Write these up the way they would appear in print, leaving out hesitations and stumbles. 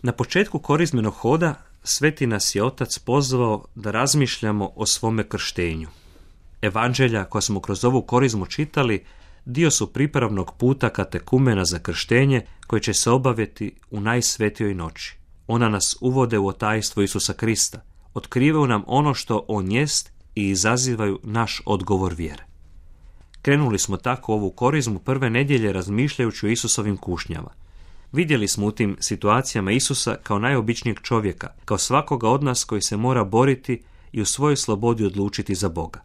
Na početku korizmenog hoda Sveti nas je Otac pozvao da razmišljamo o svome krštenju. Evanđelja koja smo kroz ovu korizmu čitali dio su pripravnog puta katekumena za krštenje koje će se obaviti u najsvetijoj noći. Ona nas uvode u tajstvo Isusa Krista, otkrivaju nam ono što On jest i izazivaju naš odgovor vjere. Krenuli smo tako ovu korizmu prve nedjelje razmišljajući o Isusovim kušnjama. Vidjeli smo u tim situacijama Isusa kao najobičnijeg čovjeka, kao svakoga od nas koji se mora boriti i u svojoj slobodi odlučiti za Boga.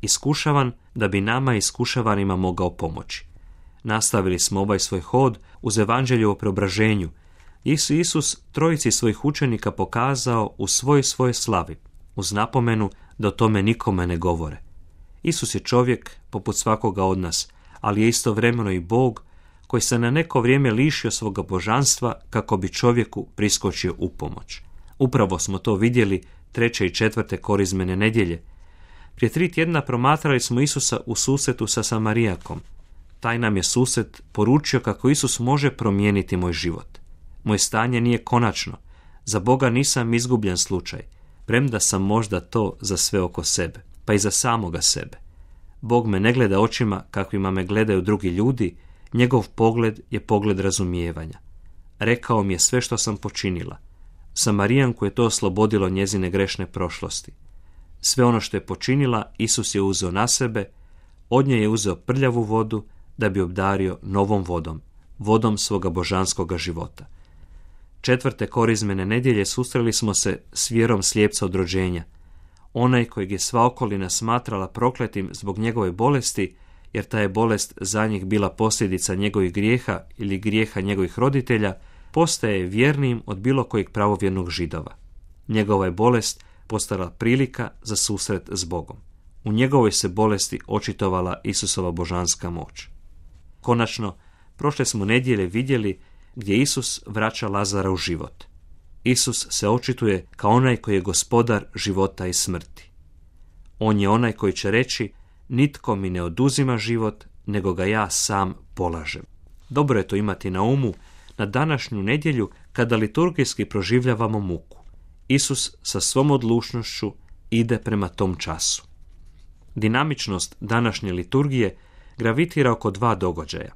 Iskušavan da bi nama iskušavanima mogao pomoći. Nastavili smo ovaj svoj hod uz evanđelje o preobraženju. Isus trojici svojih učenika pokazao u svojoj slavi, uz napomenu da o tome nikome ne govore. Isus je čovjek poput svakoga od nas, ali je istovremeno i Bog koji se na neko vrijeme lišio svoga božanstva kako bi čovjeku priskočio u pomoć. Upravo smo to vidjeli 3. i 4. korizmene nedjelje. Prije 3 tjedna promatrali smo Isusa u susretu sa Samarijakom. Taj nam je susret poručio kako Isus može promijeniti moj život. Moje stanje nije konačno. Za Boga nisam izgubljen slučaj, premda sam možda to za sve oko sebe, pa i za samoga sebe. Bog me ne gleda očima kakvima me gledaju drugi ljudi, njegov pogled je pogled razumijevanja. Rekao mi je sve što sam počinila. Samarijanku je to oslobodilo njezine grešne prošlosti. Sve ono što je počinila, Isus je uzeo na sebe, od nje je uzeo prljavu vodu da bi obdario novom vodom, vodom svoga božanskoga života. 4. korizmene nedjelje susreli smo se s vjerom slijepca od rođenja. Onaj kojeg je sva okolina smatrala prokletim zbog njegove bolesti, jer ta je bolest za njih bila posljedica njegovih grijeha ili grijeha njegovih roditelja, postaje vjernijim od bilo kojeg pravovjernog Židova. Njegova je bolest postala prilika za susret s Bogom. U njegovoj se bolesti očitovala Isusova božanska moć. Konačno, prošle smo nedjelje vidjeli gdje Isus vraća Lazara u život. Isus se očituje kao onaj koji je gospodar života i smrti. On je onaj koji će reći: nitko mi ne oduzima život, nego ga ja sam polažem. Dobro je to imati na umu na današnju nedjelju kada liturgijski proživljavamo muku. Isus sa svom odlučnošću ide prema tom času. Dinamičnost današnje liturgije gravitira oko 2 događaja.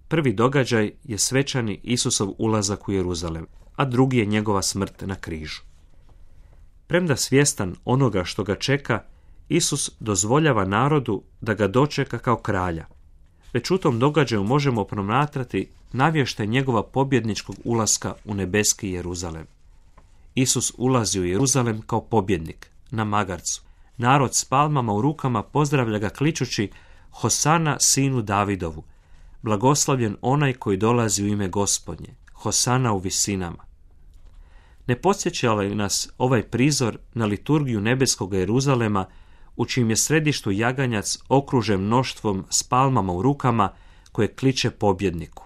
Prvi događaj je svečani Isusov ulazak u Jeruzalem, a drugi je njegova smrt na križu. Premda svjestan onoga što ga čeka, Isus dozvoljava narodu da ga dočeka kao kralja. Već u tom događaju možemo promatrati navještaj njegova pobjedničkog ulaska u nebeski Jeruzalem. Isus ulazi u Jeruzalem kao pobjednik, na magarcu. Narod s palmama u rukama pozdravlja ga kličući: Hosana sinu Davidovu, blagoslavljen onaj koji dolazi u ime Gospodnje, Hosana u visinama. Ne podsjeća li nas ovaj prizor na liturgiju nebeskog Jeruzalema, u čijem je središtu jaganjac okružen mnoštvom s palmama u rukama koje kliče pobjedniku?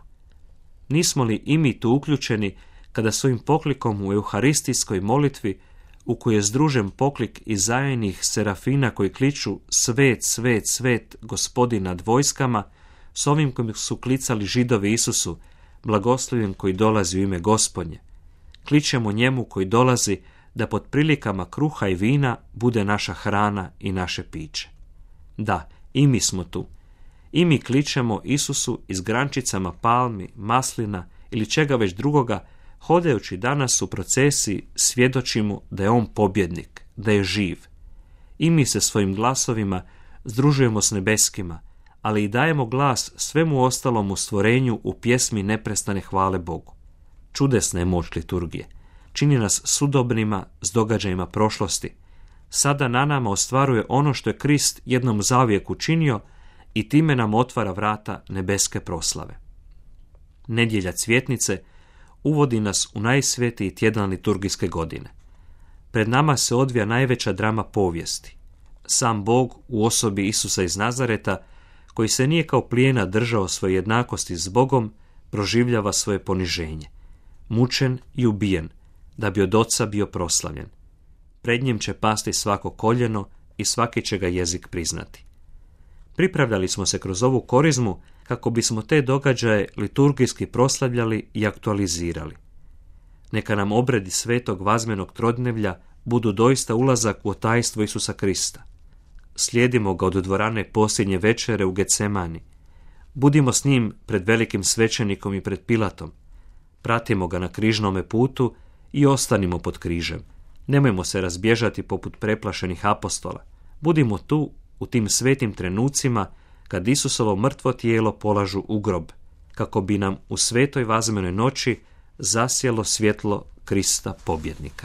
Nismo li i mi tu uključeni kada svojim poklikom u euharistijskoj molitvi, u kojoj je združen poklik Izaijinih serafina koji kliču svet, svet, svet, Gospodin nad vojskama, s ovim kojim su klicali Židovi Isusu, blagoslovljen koji dolazi u ime Gospodnje? Kličemo njemu koji dolazi da pod prilikama kruha i vina bude naša hrana i naše piće. Da, i mi smo tu. I mi kličemo Isusu i s grančicama palmi, maslina ili čega već drugoga, hodajući danas u procesiji svjedočimo da je on pobjednik, da je živ. I mi se svojim glasovima združujemo s nebeskima, ali i dajemo glas svemu ostalom u stvorenju u pjesmi neprestane hvale Bogu. Čudesna je moć liturgije. Čini nas sudobnima s događajima prošlosti. Sada na nama ostvaruje ono što je Krist jednom zauvijek učinio i time nam otvara vrata nebeske proslave. Nedjelja Cvjetnice uvodi nas u najsvetiji tjedan liturgijske godine. Pred nama se odvija najveća drama povijesti. Sam Bog u osobi Isusa iz Nazareta, koji se nije kao plijena držao svoje jednakosti s Bogom, proživljava svoje poniženje. Mučen i ubijen, da bi od Oca bio proslavljen. Pred njim će pasti svako koljeno i svaki će ga jezik priznati. Pripravljali smo se kroz ovu korizmu kako bismo te događaje liturgijski proslavljali i aktualizirali. Neka nam obredi svetog vazmenog trodnevlja budu doista ulazak u tajstvo Isusa Krista. Slijedimo ga od dvorane posljednje večere u Getsemani. Budimo s njim pred velikim svećenikom i pred Pilatom. Pratimo ga na križnome putu i ostanimo pod križem. Nemojmo se razbježati poput preplašenih apostola. Budimo tu u tim svetim trenucima kad Isusovo mrtvo tijelo polažu u grob, kako bi nam u svetoj vazmenoj noći zasjelo svjetlo Krista pobjednika.